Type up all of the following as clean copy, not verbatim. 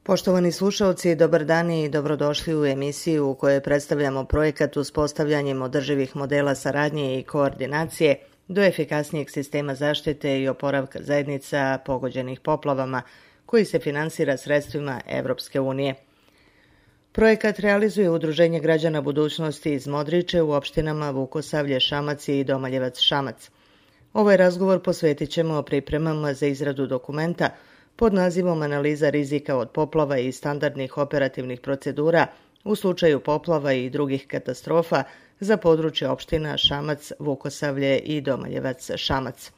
Poštovani slušalci, dobar dan i dobrodošli u emisiju u kojoj predstavljamo projekat uspostavljanjem održivih modela saradnje i koordinacije do efikasnijeg sistema zaštite i oporavka zajednica pogođenih poplavama, koji se finansira sredstvima Evropske unije. Projekat realizuje Udruženje građana budućnosti iz Modriče u opštinama Vukosavlje, Šamac i Domaljevac, Šamac. Ovaj razgovor posvetit ćemo pripremama za izradu dokumenta pod nazivom Analiza rizika od poplava i standardnih operativnih procedura u slučaju poplava i drugih katastrofa za područje opština Šamac, Vukosavlje i Domaljevac, Šamac.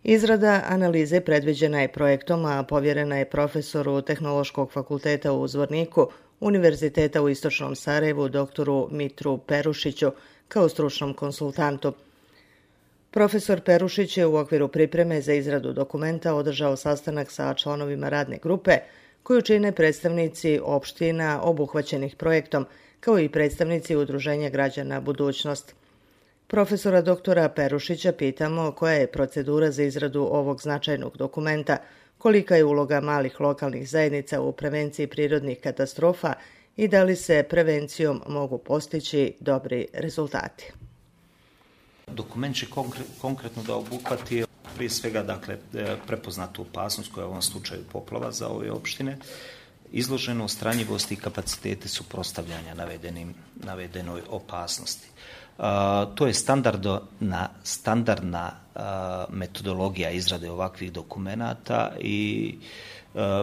Izrada analize predviđena je projektom, a povjerena je profesoru Tehnološkog fakulteta u Zvorniku, Univerziteta u Istočnom Sarajevu, doktoru Mitru Perušiću, kao stručnom konsultantu. Profesor Perušić je u okviru pripreme za izradu dokumenta održao sastanak sa članovima radne grupe, koju čine predstavnici opština obuhvaćenih projektom, kao i predstavnici Udruženja građana budućnost. Profesora doktora Perušića pitamo koja je procedura za izradu ovog značajnog dokumenta, kolika je uloga malih lokalnih zajednica u prevenciji prirodnih katastrofa i da li se prevencijom mogu postići dobri rezultati. Dokument će konkretno da obuhvati prije svega prepoznatu opasnost koja je u ovom slučaju poplava za ove opštine, izloženost, ranjivost i kapacitete suprotstavljanja navedenoj opasnosti. To je standardna metodologija izrade ovakvih dokumenata i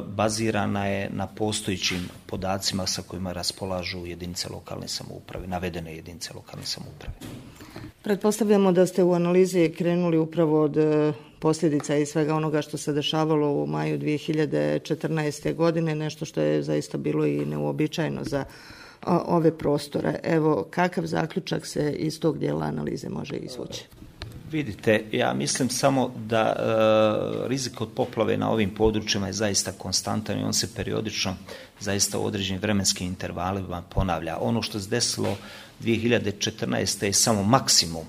bazirana je na postojećim podacima sa kojima raspolažu jedinice lokalne samouprave, navedene jedinice lokalne samouprave. Pretpostavljamo da ste u analizi krenuli upravo od posljedica i svega onoga što se dešavalo u maju 2014. godine, nešto što je zaista bilo i neuobičajeno za ove prostore. Evo, kakav zaključak se iz tog dijela analize može izvući? Vidite, ja mislim samo da rizik od poplave na ovim područjima je zaista konstantan i on se periodično zaista u određenim vremenskim intervalima ponavlja. Ono što se desilo 2014. je samo maksimum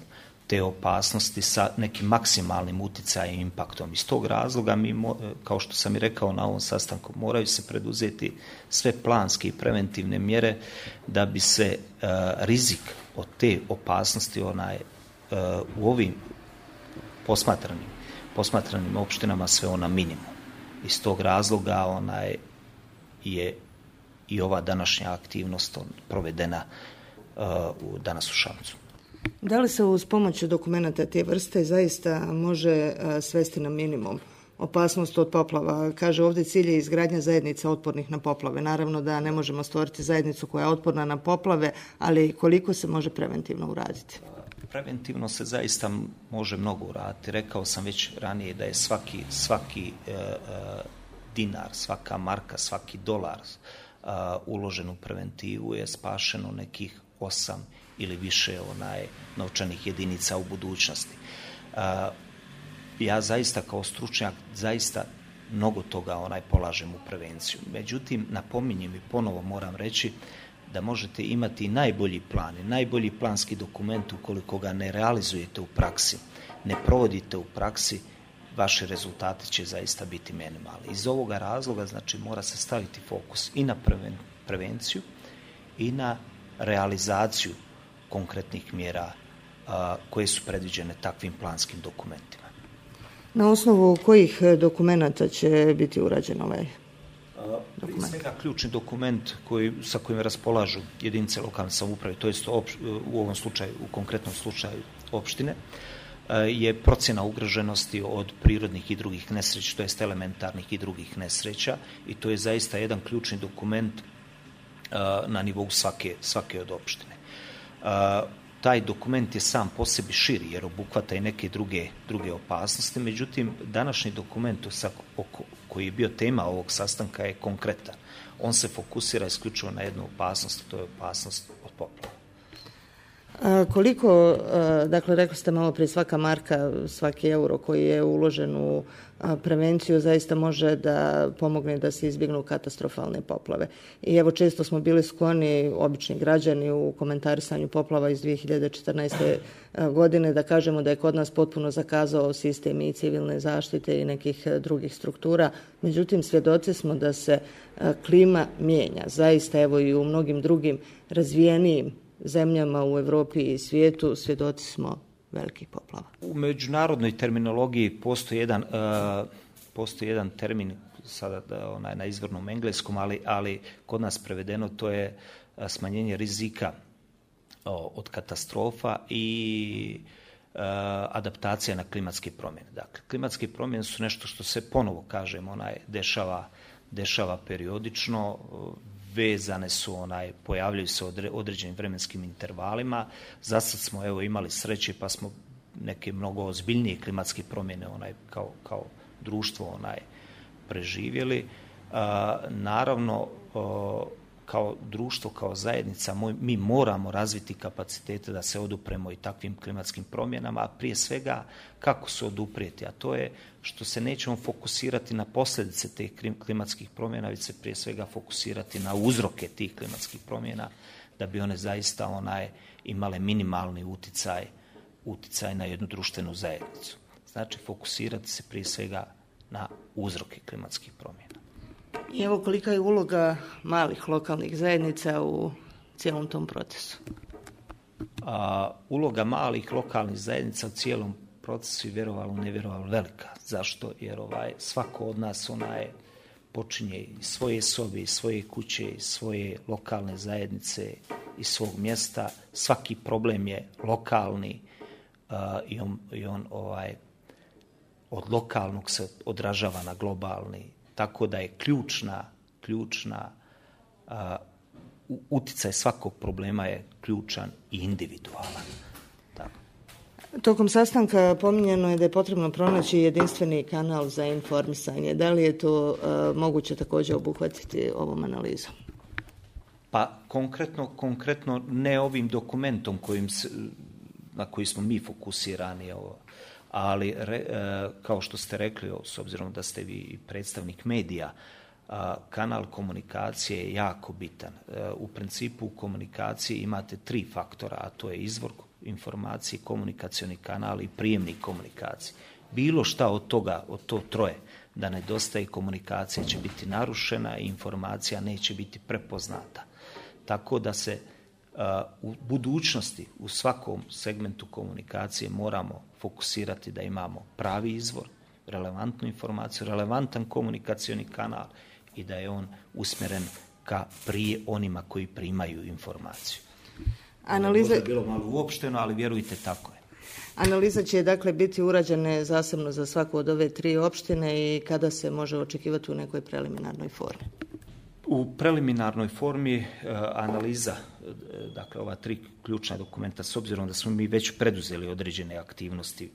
te opasnosti sa nekim maksimalnim uticajem i impaktom. Iz tog razloga mi, kao što sam i rekao na ovom sastanku, moraju se preduzeti sve planske i preventivne mjere da bi se rizik od te opasnosti u ovim posmatranim opštinama sve na minimum. Iz tog razloga je i ova današnja aktivnost provedena danas u Šamcu. Da li se uz pomoć dokumenta te vrste zaista može svesti na minimum opasnost od poplava? Kaže ovdje cilj je izgradnja zajednica otpornih na poplave. Naravno da ne možemo stvoriti zajednicu koja je otporna na poplave, ali koliko se može preventivno uraditi? Preventivno se zaista može mnogo uraditi. Rekao sam već ranije da je svaki dinar, svaka marka, svaki dolar uložen u preventivu je spašeno nekih 8 ili više novčanih jedinica u budućnosti. Ja zaista kao stručnjak zaista mnogo toga polažem u prevenciju. Međutim, napominjem i ponovo moram reći da možete imati najbolji plan i najbolji planski dokument ukoliko ga ne realizujete u praksi, ne provodite u praksi, vaši rezultati će zaista biti minimalni. Iz ovoga razloga mora se staviti fokus i na prevenciju i na realizaciju konkretnih mjera koje su predviđene takvim planskim dokumentima. Na osnovu kojih dokumenata će biti urađen ovaj dokument? Prije svega ključni dokument sa kojim raspolažu jedinice lokalne samouprave, to jest u konkretnom slučaju opštine, je procjena ugroženosti od prirodnih i drugih nesreća, to jest elementarnih i drugih nesreća, i to je zaista jedan ključni dokument na nivou svake od opštine. Taj dokument je sam po sebi širi jer obuhvata i neke druge opasnosti, međutim današnji dokument koji je bio tema ovog sastanka je konkretan. On se fokusira isključivo na jednu opasnost, to je opasnost od poplava. Koliko, dakle, rekli ste malo prije, svaka marka, svaki euro koji je uložen u prevenciju zaista može da pomogne da se izbjegnu katastrofalne poplave. I evo, često smo bili skloni, obični građani, u komentarisanju poplava iz 2014. godine da kažemo da je kod nas potpuno zakazao sistem i civilne zaštite i nekih drugih struktura. Međutim, svjedoci smo da se klima mijenja. Zaista, evo, i u mnogim drugim razvijenijim zemljama u Europi i svijetu svjedoci smo velikih poplava. U međunarodnoj terminologiji postoji jedan termin, sada na izvornom engleskom, ali kod nas prevedeno to je smanjenje rizika od katastrofa i adaptacija na klimatske promjene. Dakle, klimatske promjene su nešto što se ponovo, kažem, dešava periodično, vezane su, pojavljaju se određenim vremenskim intervalima. Zasad smo imali sreće pa smo neke mnogo ozbiljnije klimatske promjene kao društvo preživjeli. Naravno, kao društvo, kao zajednica, mi moramo razviti kapacitete da se odupremo i takvim klimatskim promjenama, a prije svega kako se oduprijeti, a to je što se nećemo fokusirati na posljedice tih klimatskih promjena, već se prije svega fokusirati na uzroke tih klimatskih promjena, da bi one zaista imale minimalni uticaj na jednu društvenu zajednicu. Znači, fokusirati se prije svega na uzroke klimatskih promjena. I evo, kolika je uloga malih lokalnih zajednica u cijelom tom procesu? Uloga malih lokalnih zajednica u cijelom procesu je nevjerovalo velika. Zašto? Jer svako od nas počinje iz svoje sobe, iz svoje kuće, iz svoje lokalne zajednice, iz svog mjesta. Svaki problem je lokalni i on od lokalnog se odražava na globalni. Tako da je ključna uticaj svakog problema je ključan i individualan. Tako. Tokom sastanka pominjeno je da je potrebno pronaći jedinstveni kanal za informisanje. Da li je to moguće također obuhvatiti ovom analizom? Pa konkretno ne ovim dokumentom na koji smo mi fokusirani, ali kao što ste rekli, s obzirom da ste vi predstavnik medija, kanal komunikacije je jako bitan. U principu u komunikaciji imate 3 faktora, a to je izvor informacije, komunikacioni kanal i prijemnik komunikacije. Bilo šta od toga, od to troje, da nedostaje, komunikacija će biti narušena i informacija neće biti prepoznata. Tako da se u budućnosti u svakom segmentu komunikacije moramo fokusirati da imamo pravi izvor, relevantnu informaciju, relevantan komunikacioni kanal i da je on usmjeren ka prije onima koji primaju informaciju. Možda je bilo malo uopšteno, ali vjerujte, tako je. Analiza će dakle biti urađena zasebno za svaku od ove 3 opštine i kada se može očekivati u nekoj preliminarnoj formi? U preliminarnoj formi analiza, dakle ova 3 ključna dokumenta, s obzirom da smo mi već preduzeli određene aktivnosti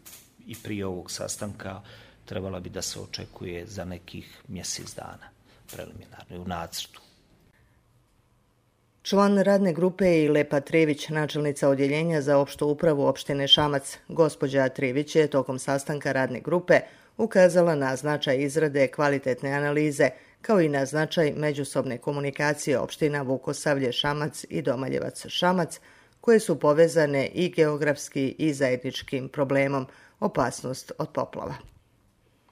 i prije ovog sastanka, trebala bi da se očekuje za nekih mjesec dana preliminarno u nacrtu. Član radne grupe je Lepa Trević, načelnica odjeljenja za opštu upravu opštine Šamac. Gospođa Trević je tokom sastanka radne grupe ukazala na značaj izrade kvalitetne analize, kao i na značaj međusobne komunikacije opština Vukosavlje Šamac i Domaljevac Šamac, koje su povezane i geografski i zajedničkim problemom opasnost od poplava.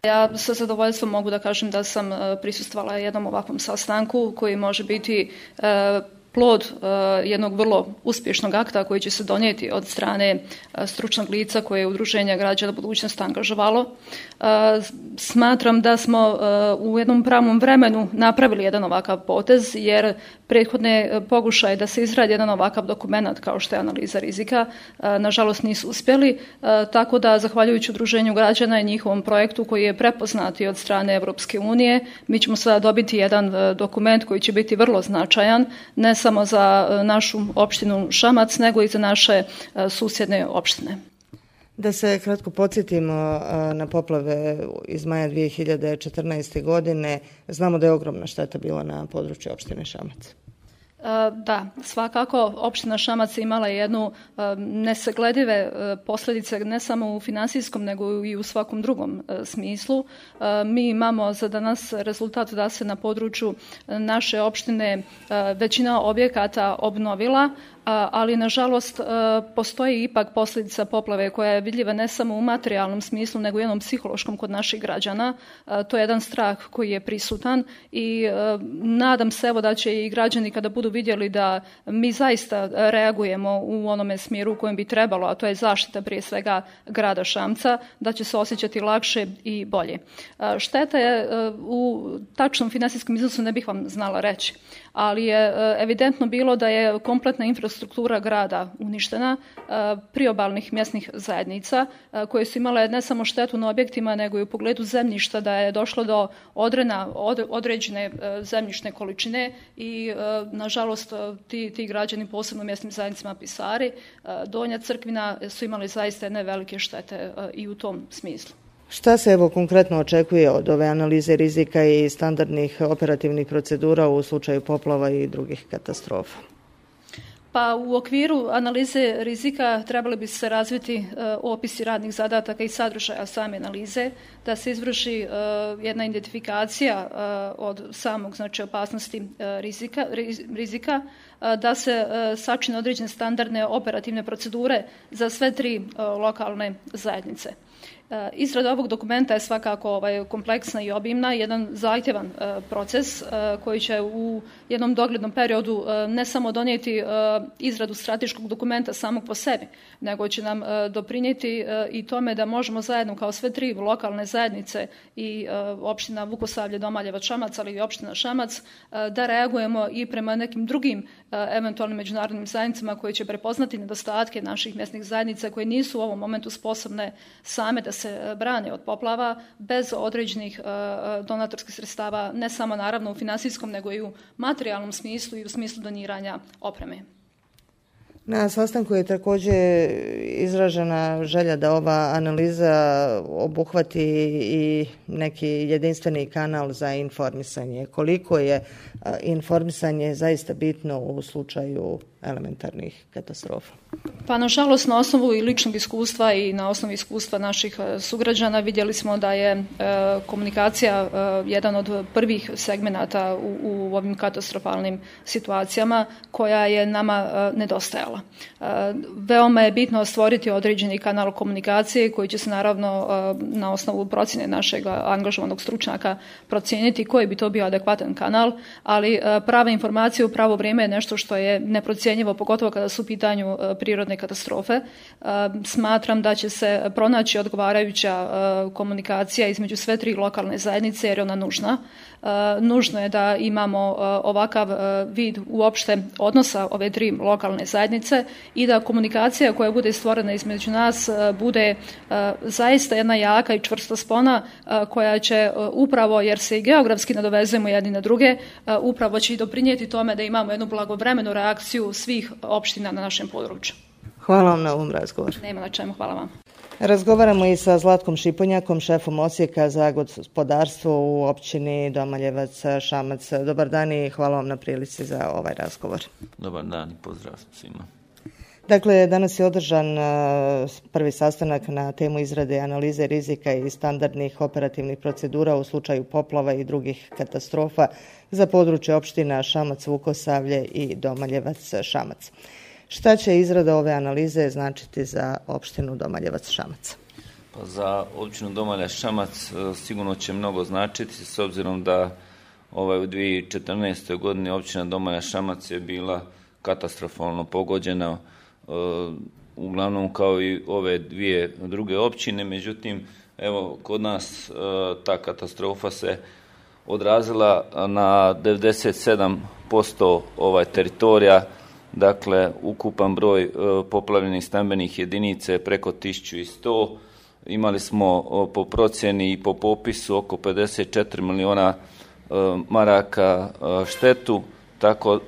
Ja sa zadovoljstvom mogu da kažem da sam prisustvovala jednom ovakvom sastanku koji može biti plod jednog vrlo uspješnog akta koji će se donijeti od strane stručnog lica koje je Udruženje Građana budućnost angažovalo. Smatram da smo u jednom pravom vremenu napravili jedan ovakav potez, jer prethodne pokušaje da se izradi jedan ovakav dokument kao što je analiza rizika, nažalost nisu uspjeli, tako da zahvaljujući Udruženju građana i njihovom projektu koji je prepoznati od strane Europske unije, mi ćemo sada dobiti jedan dokument koji će biti vrlo značajan, ne samo za našu opštinu Šamac, nego i za naše susjedne opštine. Da se kratko podsjetimo na poplave iz maja 2014. godine, znamo da je ogromna šteta bila na području opštine Šamac. Da, svakako opština Šamac imala jednu nesagledive posljedice ne samo u finansijskom nego i u svakom drugom smislu. Mi imamo za danas rezultat da se na području naše opštine većina objekata obnovila, ali nažalost postoji ipak posljedica poplave koja je vidljiva ne samo u materijalnom smislu nego i jednom psihološkom kod naših građana. To je jedan strah koji je prisutan i nadam se evo da će i građani kada budu vidjeli da mi zaista reagujemo u onome smjeru u kojem bi trebalo, a to je zaštita prije svega grada Šamca, da će se osjećati lakše i bolje. Šteta je u tačnom financijskom iznosu ne bih vam znala reći, ali je evidentno bilo da je kompletna infrastruktura grada uništena, priobalnih mjesnih zajednica koje su imale ne samo štetu na objektima nego i u pogledu zemljišta, da je došlo do određene zemljišne količine i nažalost ti građani, posebno mjesnim zajednicama Pisari, Donja Crkvina, su imali zaista jedne velike štete i u tom smislu. Šta se evo konkretno očekuje od ove analize rizika i standardnih operativnih procedura u slučaju poplava i drugih katastrofa? Pa u okviru analize rizika trebali bi se razviti opisi radnih zadataka i sadržaja same analize, da se izvrši jedna identifikacija od samog opasnosti rizika, da se sačine određene standardne operativne procedure za sve 3 lokalne zajednice. Izrada ovog dokumenta je svakako kompleksna i obimna, jedan zahtjevan proces koji će u jednom doglednom periodu ne samo donijeti izradu strateškog dokumenta samog po sebi, nego će nam doprinijeti i tome da možemo zajedno kao sve 3 lokalne zajednice i opština Vukosavlje, Domaljevac, Šamac, ali i opština Šamac, da reagujemo i prema nekim drugim eventualnim međunarodnim zajednicama koje će prepoznati nedostatke naših mjesnih zajednica koje nisu u ovom momentu sposobne same da se brane od poplava bez određenih donatorskih sredstava, ne samo naravno u finansijskom nego i u materijalnom smislu i u smislu doniranja opreme. Na sastanku je također izražena želja da ova analiza obuhvati i neki jedinstveni kanal za informisanje. Koliko je informisanje zaista bitno u slučaju elementarnih katastrofa? Pa nažalost na osnovu i ličnog iskustva i na osnovu iskustva naših sugrađana vidjeli smo da je komunikacija jedan od prvih segmenata u ovim katastrofalnim situacijama koja je nama nedostajala. Veoma je bitno stvoriti određeni kanal komunikacije koji će se naravno na osnovu procjene našeg angažovanog stručnjaka procijeniti koji bi to bio adekvatan kanal, ali prava informacija u pravo vrijeme je nešto što je neprocjenjivo, pogotovo kada su u pitanju prirodne katastrofe. Smatram da će se pronaći odgovarajuća komunikacija između sve 3 lokalne zajednice jer je ona nužna. Nužno je da imamo ovakav vid uopšte odnosa ove 3 lokalne zajednice i da komunikacija koja bude stvorena između nas bude zaista jedna jaka i čvrsta spona koja će upravo, jer se i geografski nadovezujemo jedni na druge, upravo će i doprinijeti tome da imamo jednu blagovremenu reakciju svih opština na našem području. Hvala vam na ovom razgovoru. Nema na čemu, hvala vam. Razgovaramo i sa Zlatkom Šipunjakom, šefom Odsjeka za gospodarstvo u općini Domaljevac, Šamac. Dobar dan i hvala vam na prilici za ovaj razgovor. Dobar dan i pozdrav svima. Dakle, danas je održan prvi sastanak na temu izrade analize rizika i standardnih operativnih procedura u slučaju poplava i drugih katastrofa za područje opština Šamac, Vukosavlje i Domaljevac, Šamac. Šta će izrada ove analize značiti za opštinu Domaljevac, Šamac? Pa za općinu Domaljevac, Šamac sigurno će mnogo značiti s obzirom da u 2014. godini općina Domaljevac, Šamac je bila katastrofalno pogođena, uglavnom kao i ove 2 druge općine. Međutim, evo kod nas ta katastrofa se odrazila na 97% teritorija. Dakle, ukupan broj poplavljenih stambenih jedinica je preko 1100. Imali smo po procjeni i po popisu oko 54 miliona maraka štetu, tako,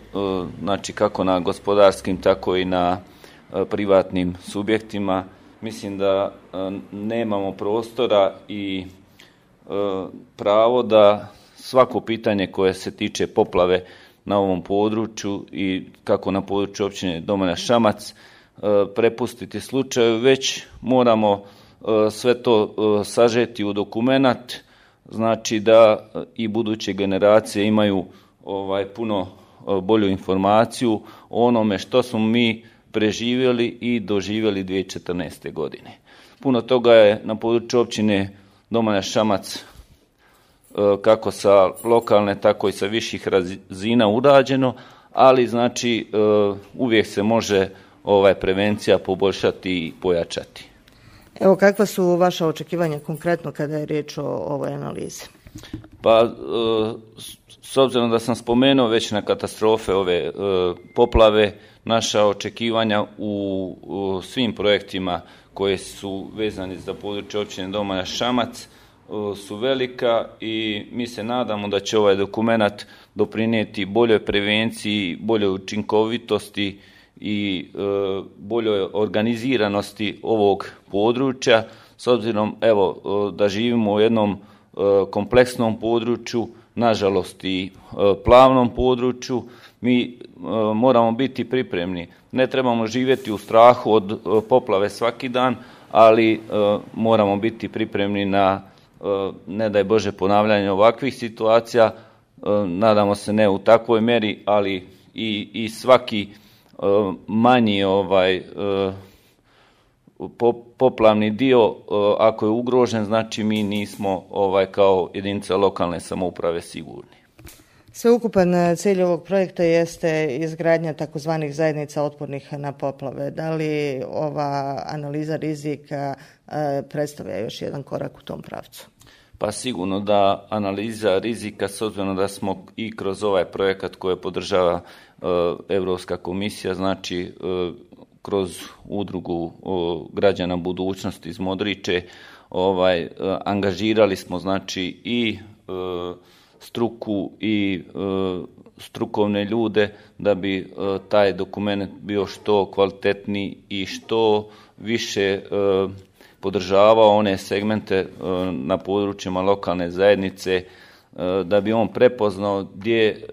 znači kako na gospodarskim, tako i na privatnim subjektima. Mislim da nemamo prostora i pravo da svako pitanje koje se tiče poplave na ovom području i kako na području općine Domana Šamac prepustiti slučaju, već moramo sve to sažeti u dokumenat, znači da i buduće generacije imaju puno bolju informaciju o onome što smo mi preživjeli i doživjeli 2014. godine. Puno toga je na području općine Domana Šamac kako sa lokalne, tako i sa viših razina urađeno, ali znači uvijek se može prevencija poboljšati i pojačati. Evo, kakva su vaša očekivanja konkretno kada je riječ o ovoj analizi? Pa, s obzirom da sam spomenuo već na katastrofe ove poplave, naša očekivanja u svim projektima koje su vezani za područje općine Domana Šamac su velika i mi se nadamo da će ovaj dokumenat doprinijeti boljoj prevenciji, boljoj učinkovitosti i boljoj organiziranosti ovog područja, s obzirom da živimo u jednom kompleksnom području, nažalost i plavnom području. Mi moramo biti pripremni. Ne trebamo živjeti u strahu od poplave svaki dan, ali moramo biti pripremni na, ne daj Bože, ponavljanje ovakvih situacija. Nadamo se ne u takvoj mjeri, ali i svaki manji poplavni dio, ako je ugrožen, znači mi nismo kao jedinica lokalne samouprave sigurni. Sveukupan cilj ovog projekta jeste izgradnja takozvanih zajednica otpornih na poplave. Da li ova analiza rizika predstavlja još jedan korak u tom pravcu? Pa sigurno da analiza rizika, s obzirom da smo i kroz ovaj projekat koje podržava Europska komisija, znači kroz udrugu građana budućnosti iz Modriče, angažirali smo znači i struku i strukovne ljude da bi taj dokument bio što kvalitetniji i što više podržavao one segmente na područjima lokalne zajednice, da bi on prepoznao gdje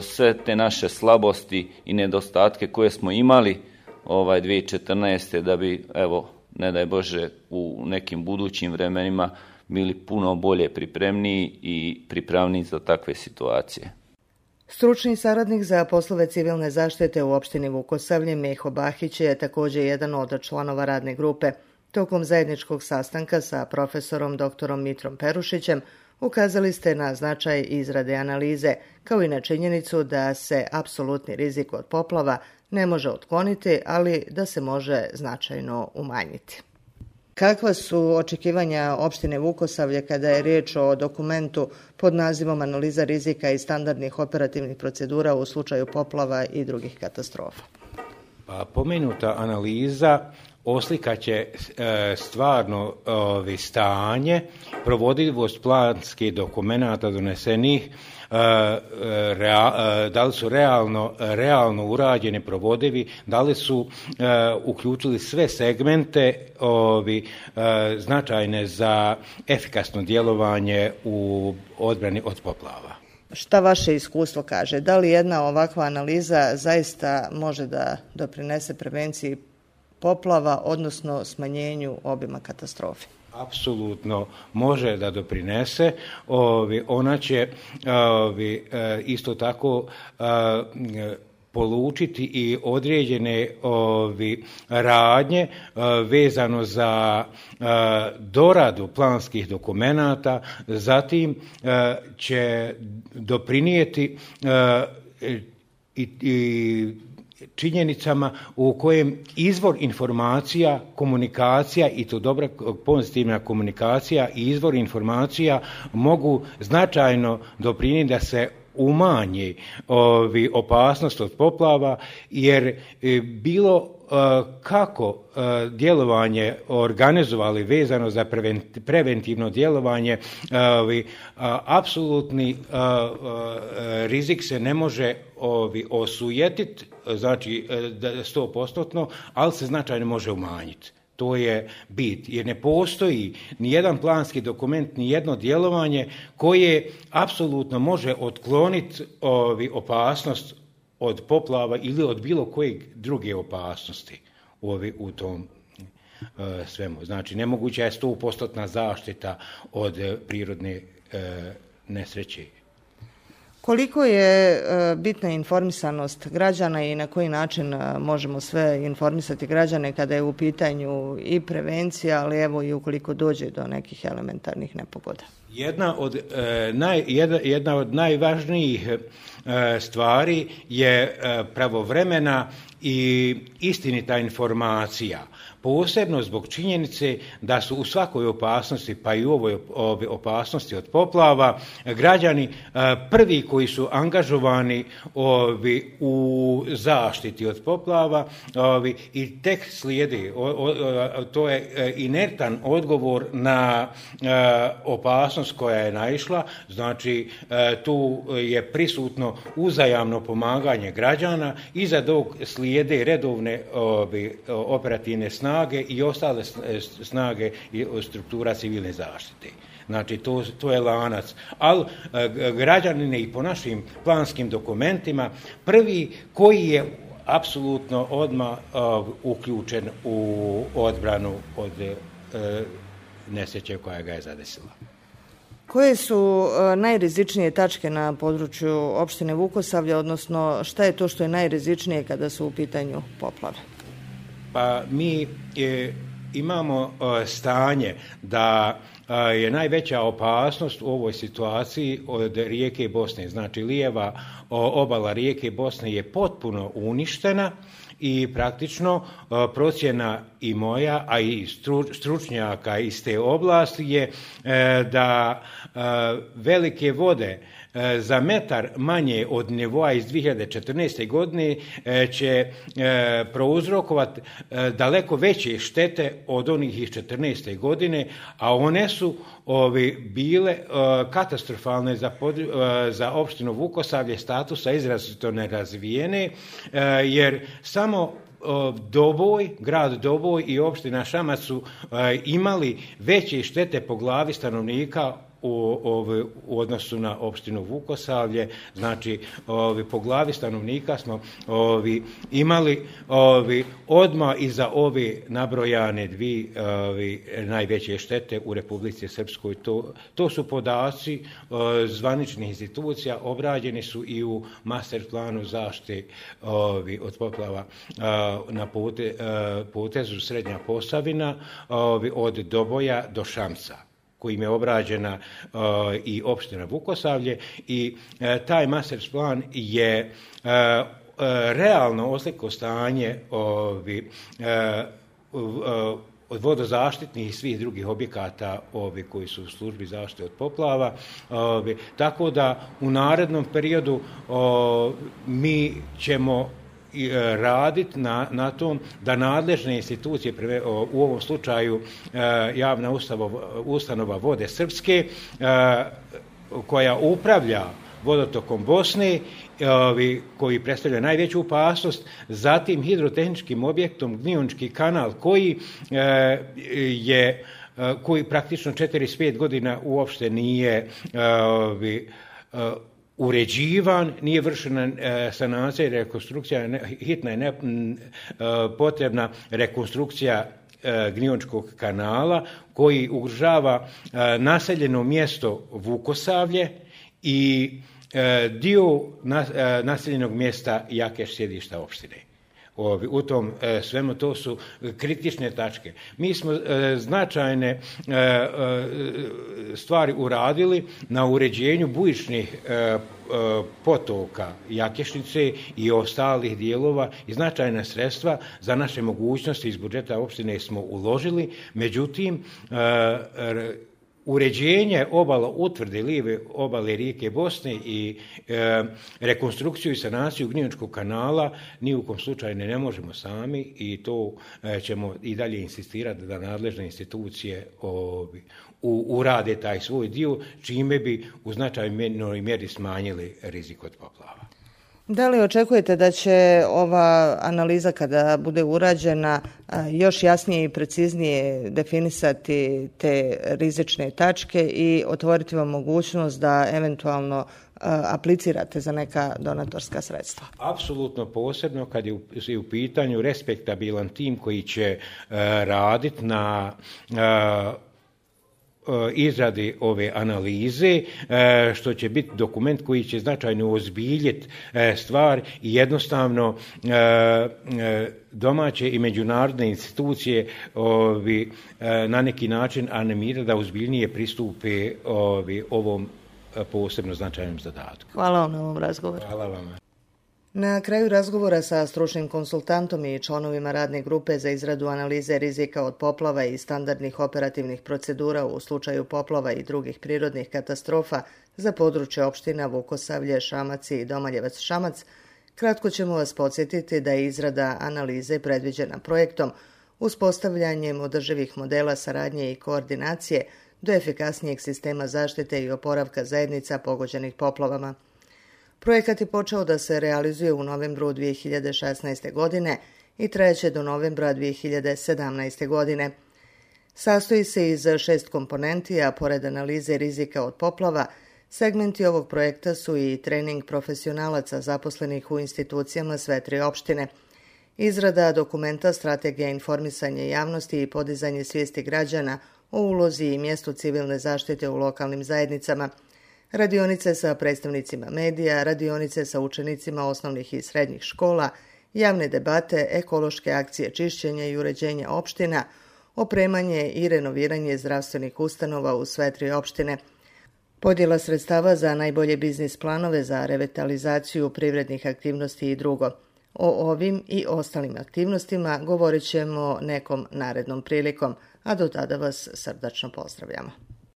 sve te naše slabosti i nedostatke koje smo imali 2014. da bi, ne daj Bože, u nekim budućim vremenima bili puno bolje pripremniji i pripravniji za takve situacije. Stručni saradnik za poslove civilne zaštite u opštini Vukosavlje, Meho Bahić, je također jedan od članova radne grupe. Tokom zajedničkog sastanka sa profesorom dr. Mitrom Perušićem ukazali ste na značaj izrade analize, kao i na činjenicu da se apsolutni rizik od poplava ne može otkloniti, ali da se može značajno umanjiti. Kakva su očekivanja opštine Vukosavlje kada je riječ o dokumentu pod nazivom Analiza rizika i standardnih operativnih procedura u slučaju poplava i drugih katastrofa? Pa, pomenuta analiza oslikaće stvarno stanje, provodljivost planskih dokumenata donesenih, da li su realno urađeni, provodivi, da li su uključili sve segmente značajne za efikasno djelovanje u odbrani od poplava. Šta vaše iskustvo kaže? Da li jedna ovakva analiza zaista može da doprinese prevenciji poplava, odnosno smanjenju obima katastrofe? Apsolutno može da doprinese. Ona će isto tako polučiti i određene radnje vezano za doradu planskih dokumenata, zatim će doprinijeti i činjenicama u kojem izvor informacija, komunikacija i to dobra pozitivna komunikacija i izvor informacija mogu značajno doprinijeti da se umanji opasnost od poplava, jer bilo kako djelovanje organizovali vezano za preventivno djelovanje, apsolutni rizik se ne može osujetiti, znači 100%, ali se značajno može umanjiti. To je bit, jer ne postoji ni jedan planski dokument, ni jedno djelovanje koje apsolutno može otkloniti opasnost od poplava ili od bilo kojeg druge opasnosti u tom svemu. Znači, nemoguća je 100% zaštita od prirodne nesreće. Koliko je bitna informisanost građana i na koji način možemo sve informisati građane kada je u pitanju i prevencija, ali evo i ukoliko dođe do nekih elementarnih nepogoda? Jedna od najvažnijih stvari je pravovremena i istinita informacija. Posebno zbog činjenice da su u svakoj opasnosti, pa i u ovoj opasnosti od poplava, građani prvi koji su angažovani u zaštiti od poplava i tek slijedi. To je inertan odgovor na opasnost koja je naišla. Znači, tu je prisutno uzajamno pomaganje građana, iza tog slijede redovne operativne snage i ostale snage i struktura civilne zaštite. Znači, to je lanac. Ali građanin je i po našim planskim dokumentima prvi koji je apsolutno odmah uključen u odbranu od nesreće koja ga je zadesila. Koje su najrizičnije tačke na području opštine Vukosavlje, odnosno šta je to što je najrizičnije kada su u pitanju poplave? Pa mi imamo stanje da je najveća opasnost u ovoj situaciji od rijeke Bosne. Znači, lijeva obala rijeke Bosne je potpuno uništena i praktično procjena i moja, a i stručnjaka iz te oblasti je da velike vode za metar manje od nivoa iz 2014. godine će prouzrokovati daleko veće štete od onih iz 2014. godine, a one su bile katastrofalne za opštinu Vukosavlje, statusa izrazito nerazvijene, jer samo grad Doboj i opština Šamac su imali veće štete po glavi stanovnika u odnosu na opštinu Vukosavlje. Znači, po glavi stanovnika smo imali odmah iza ove nabrojane dvije najveće štete u Republici Srpskoj. To su podaci zvaničnih institucija, obrađeni su i u master planu zaštite od poplava na potezu Srednja Posavina od Doboja do Šamca, kojim je obrađena i opština Vukosavlje, i taj master plan je realno oslikao stanje od vodozaštitnih i svih drugih objekata koji su u službi zaštite od poplava. Tako da u narednom periodu mi ćemo raditi na tom da nadležne institucije, u ovom slučaju javna ustanova Vode Srpske, koja upravlja vodotokom Bosne, koji predstavlja najveću opasnost, zatim hidrotehničkim objektom Gnjiončki kanal, koji praktično 45 godina uopšte nije uređivan, nije vršena sanacija i rekonstrukcija, hitna je potrebna rekonstrukcija Gnjiončkog kanala, koji ugrožava naseljeno mjesto Vukosavlje i dio naseljenog mjesta Jakeš, sjedišta opštine. U tom svemu to su kritične tačke. Mi smo značajne stvari uradili na uređenju bujičnih potoka Jakešnice i ostalih dijelova i značajna sredstva za naše mogućnosti iz budžeta opštine smo uložili. Međutim, uređenje obala utvrde lijeve obale rijeke Bosne i rekonstrukciju i sanaciju Gnjiončkog kanala ni u kom slučaju ne možemo sami, i to ćemo i dalje insistirati da nadležne institucije urade taj svoj dio, čime bi u značajnoj mjeri smanjili rizik od poplava. Da li očekujete da će ova analiza kada bude urađena još jasnije i preciznije definisati te rizične tačke i otvoriti vam mogućnost da eventualno aplicirate za neka donatorska sredstva? Apsolutno, posebno kad je u pitanju respektabilan tim koji će raditi na izradi ove analize, što će biti dokument koji će značajno ozbiljiti stvar i jednostavno domaće i međunarodne institucije na neki način animirati da ozbiljnije pristupe ovom posebno značajnom zadatku. Hvala vam na ovom razgovoru. Hvala vam. Na kraju razgovora sa stručnim konsultantom i članovima radne grupe za izradu analize rizika od poplava i standardnih operativnih procedura u slučaju poplava i drugih prirodnih katastrofa za područje opština Vukosavlje, Šamac i Domaljevac Šamac, kratko ćemo vas podsjetiti da je izrada analize predviđena projektom uspostavljanjem održivih modela saradnje i koordinacije do efikasnijeg sistema zaštite i oporavka zajednica pogođenih poplavama. Projekat je počeo da se realizuje u novembru 2016. godine i trajeće do novembra 2017. godine. Sastoji se iz 6 komponenti, a pored analize rizika od poplava, segmenti ovog projekta su i trening profesionalaca zaposlenih u institucijama sve 3 opštine, izrada dokumenta strategija informisanja javnosti i podizanje svijesti građana o ulozi i mjestu civilne zaštite u lokalnim zajednicama, radionice sa predstavnicima medija, radionice sa učenicima osnovnih i srednjih škola, javne debate, ekološke akcije čišćenja i uređenja opština, opremanje i renoviranje zdravstvenih ustanova u sve 3 opštine, podjela sredstava za najbolje biznis planove za revitalizaciju privrednih aktivnosti i drugo. O ovim i ostalim aktivnostima govorit ćemo nekom narednom prilikom, a do tada vas srdačno pozdravljamo.